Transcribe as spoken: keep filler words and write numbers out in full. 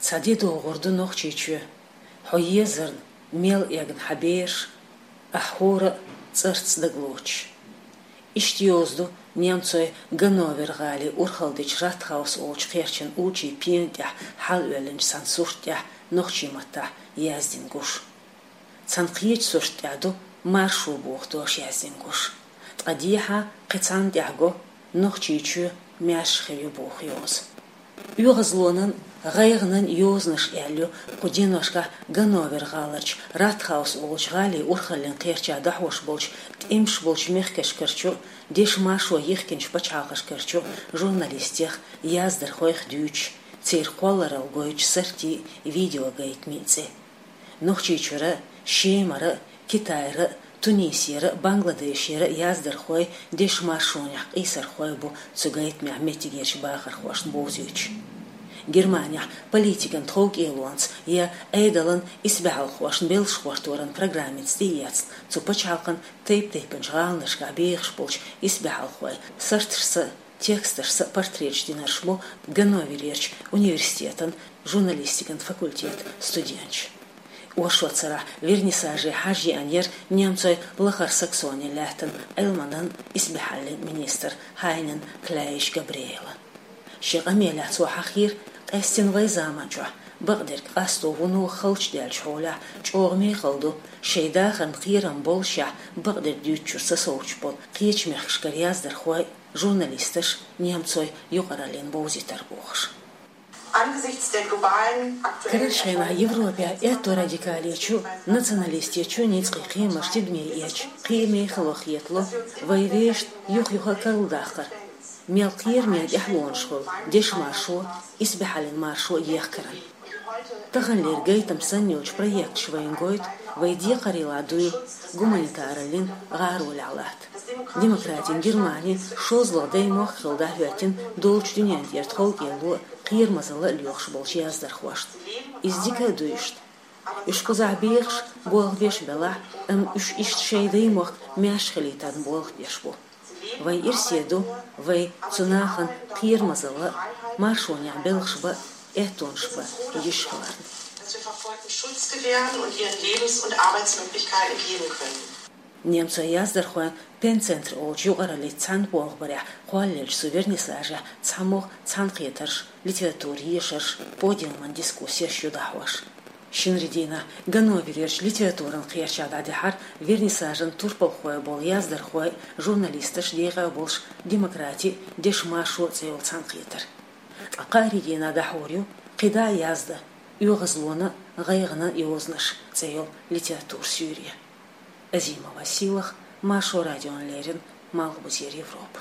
Цхьа де догӀур ду Нохчийчоь, хьо езарна мел эгна хьа бераш, ахь хӀора а цӀарца дагалоцуш. Иштта йовза ду немцойн Ганновер-гӀалин урхалдечу Ратхаус олучу кхерчан уллачийн пена тӀехь хьалаоьллинчу цхьана сурт тӀехь нохчийн маттахь яздина гуш. Цхьана кхечу сурт тӀехь ду маршо боху дош яздина гуш. Ткъа дехьа кхин цхьанна тӀехь го Нохчийчоь маьрша хир ю боху йоза. ОьгӀазлонан, гӀайгӀанан йозанаш аьлла ю кху деношкахь Ганновер-гӀаларчу Ратхаус олучу гӀалин урхаллин кхерчахь дӀахьош болчу тӀемаш болчу мехкашкарчу, дешан маршо йихкинчу пачхьалкхашкарчу журналистех, яздархойх дуьйцуш, церан кхолларалла гойтучу сартийн, видеогайтамийн цӀе. Нохчийчуьра, Шемара, Китайра, Тунисера, Бангладешера яздархой, дешан маршонехь къийсархой бу цу гайтамехь меттигерчу бахархошна бовзуьйтуш. Германехь политикан тховкӀелонца я Ӏедалан исбаьхьалхошна белхаш гӀорторан программица тӀеэцна цу пачхьалкхан тайп-тайпанчу гӀаланашкахь бехаш болчу исбаьхьалхой сарташца, тексташца портреташ динарш бу Ганноверерчу университетан журналистикан факультетан студенташ. Оршот сарахь вернисаже хьажа еана яра немцойн Лахара Саксонин лаьттан Ӏилманан, исбаьхьаллин министр Хайнен Кляйн-Габриэла. Шен къамелехь цо хьахийра, къаьстина вайн заманчохь бакъдерг къасто вуно халчу даьллачу хьолехь чӀогӀа мехала ду, шайн дахарна кхерам боллушехь бакъдерг дуьйцучуьра сацоцуш болу кхечу мехкашкара яздархой, журналисташ немцойн юкъараллина бовзийтар бохуш. Angesichts der globalen aktuellen Карарчу хенахь Европехь аьтто радикалечу, националистечу ницкъийн кхерамаш тидаме эцча, кхин а мехала хетало вай вешан юх-юха карладаккхар, мел кхераме тӀаьхьалонаш хуьлу дешан маршо, исбаьхьаллин маршо ехкаран. Таханлера гайтам санна йолчу проекташа вайна гойту, вай декхарийлахь дуй гуманитараллин гӀаролехь латта. Демократин Германи шозлагӀа даймохк хилла дӀахӀоьттина долчу дуьнен тӀера тховкӀело, кхерамазалла а лоьхуш болчу яздархошна. Иза дика а ду иштта. Уьш кхузахь бехаш, болх беш белахь, амма уьш иштта шайн даймохк маьрша хилийтарна болх беш бу. Вайн ирсе ду вай цу нахана кхерамазалла а, маршонехь белхаш бан а, аьттонаш бан а йиш хиларна. Dass wir Verfolgten Schutz gewähren und ihren Lebens- und Arbeitsmöglichkeiten geben können. Немцойн яздархойн Пенцентр олучу юкъараллица цхьаьна болх барехь кхоллаеллачу цу вернисажехь цхьамогӀа цхьаьнакхетарш, литературан ешарш, подиуман дискуссеш ю дӀахьош. Шинарин дийнахь Ганноверерчу литературан кхерчахь дӀадахьара вернисажан турпалхой болу яздархой, журналисташ декъе болуш «Демократия, дешан маршо» цӀе йолу цхьаьнакхетар. Ткъа кхаарин дийнахь дӀахьур ю кхидӀа а яздан, оьгӀазлонан, гӀайгӀанан йозанаш цӀе йолу литературан суьйре. Азимова Сийлаха, Маршо радиона леррина, Малхбузера Европа.